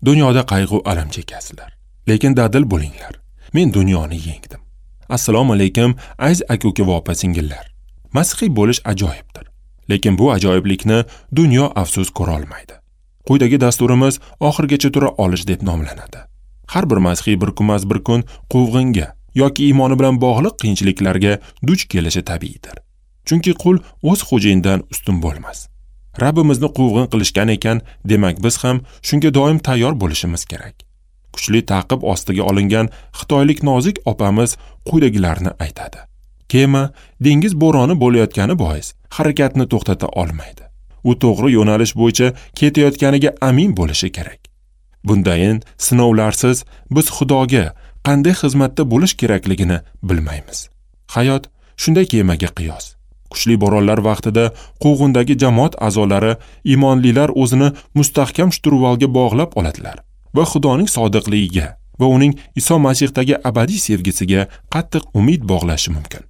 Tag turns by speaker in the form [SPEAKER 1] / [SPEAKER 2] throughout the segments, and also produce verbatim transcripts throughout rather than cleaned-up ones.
[SPEAKER 1] Dunyoda qayg'u alam chekasizlar, lekin dadil bo'linglar. Men dunyoni yengdim. Assalomu alaykum, aziz aka-uka va opa-singillar. Masihiy bo'lish ajoyibdir. Lekin bu ajoyiblikni dunyo afsus ko'ra olmaydi. Quyidagi dasturimiz oxirgacha tura olish deb nomlanadi. Har bir masihiy bir kunmas bir kun quvg'inga yoki iymoni bilan bog'liq qiyinchiliklarga duch kelishi tabiiydir. Chunki qul o'z xo'jayinidan ustun bo'lmas. Rabbimizni quvg'in qilishgan ekan, demak biz ham shunga doim tayyor bo'lishimiz kerak. Kuchli ta'qib ostiga olingan xitoylik nozik opamiz quyidagilarni aytadi. Kema dengiz bo'roni bo'layotgani bois harakatni to'xtata olmaydi. U to'g'ri yo'nalish bo'yicha ketayotganiga amin bo'lishi kerak. Bundayin sinovlarsiz biz Xudoga qanday xizmatda bo'lish kerakligini bilmaymiz. Hayot shunday kemaga qiyos. Kuchli bo'ronlar vaqtida quvg'indagi jamoat a'zolari iymonlilar o'zini mustahkam shturvalga bog'lab oladilar va Xudoning sodiqligiga va uning Iso Masihdagi abadiy sevgisiga qattiq umid bog'lashi mumkin.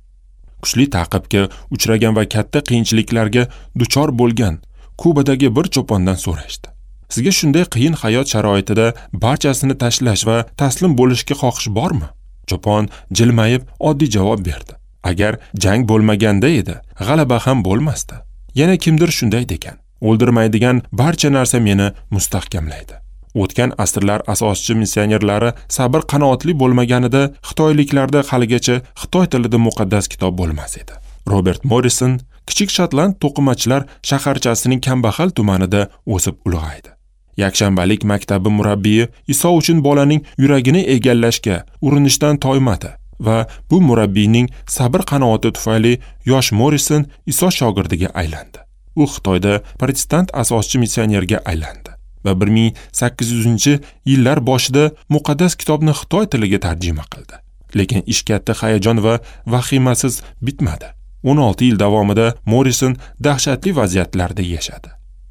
[SPEAKER 1] Kuchli ta'qibga uchragan va katta qiyinchiliklarga duchor bo'lgan Kubadagi bir cho'pondan so'rashdi. Sizga shunday qiyin hayot sharoitida barchasini tashlash va taslim bo'lishga xohish bormi? Cho'pon jilmayib oddiy javob berdi. Agar jang bo'lmaganda edi, g'alaba ham bo'lmasdi. Yana kimdir shunday degan. O'ldirmaydigan barcha narsa meni mustahkamlaydi. O'tgan asrlar asoschi missionerlari sabr qanoatli bo'lmaganida xitoyliklarda haligacha xitoy tilida muqaddas kitob bo'lmas edi. Robert Morrison kichik shotland to'qimachilar shaharchasining kambag'al tumanida o'sib ulg'aydi. Yakshanbalik maktabi murabbiyi Iso uchun bolaning yuragini egallashga urinishdan toymadi va bu murabbiyning sabr qanoati tufayli yosh Morrison Iso shogirdiga aylandi. U Xitoyda protestant asoschi missionerga aylandi va bir ming sakkiz yuzinchi yillar boshida muqaddas kitobni xitoy tiliga tarjima qildi. Lekin ish katta hayajon va vahimasiz bitmadi. o'n olti yil davomida Morrison dahshatli vaziyatlarda yashadi.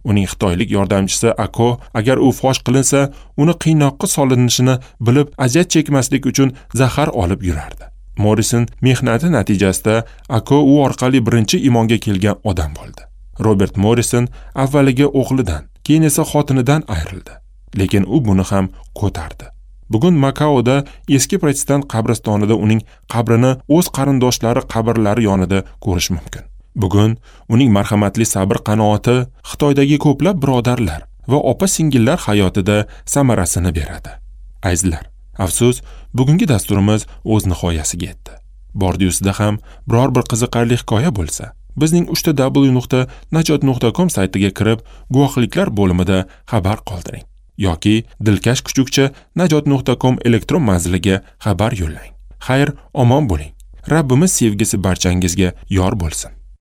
[SPEAKER 1] Uning xitoylik yordamchisi Ako, agar u fosh qilinsa, uni qiynoqqa solinishini bilib, aziyat chekmaslik uchun zahar olib yurardi. Morrison mehnati natijasida Ako u orqali birinchi iymonga kelgan odam bo'ldi. Robert Morrison avvaliga o'g'lidan, keyin esa xotinidan ayrildi. Lekin u buni ham ko'tardi. Bugun Makaoda eski protestant qabristonida uning qabrini o'z qarindoshlari qabrlari yonida ko'rish mumkin. Bugun uning marhamatli sabr qanoati Xitoydagi ko'plab birodarlar va opa-singillar hayotida samarasini beradi. Azizlar, afsus, bugungi dasturimiz o'z nihoyasiga yetdi. Bordi-yusida ham biror bir qiziqarli hikoya bo'lsa, bizning uchta w nuqta najot nuqta com saytiga kirib, guvohliklar bo'limida xabar qoldiring yoki dilkash kuchukcha najot nuqta com elektron manziliga xabar yo'llang. Xayr, omon bo'ling. Rabbimiz sevgisi barchangizga yor bo'lsin.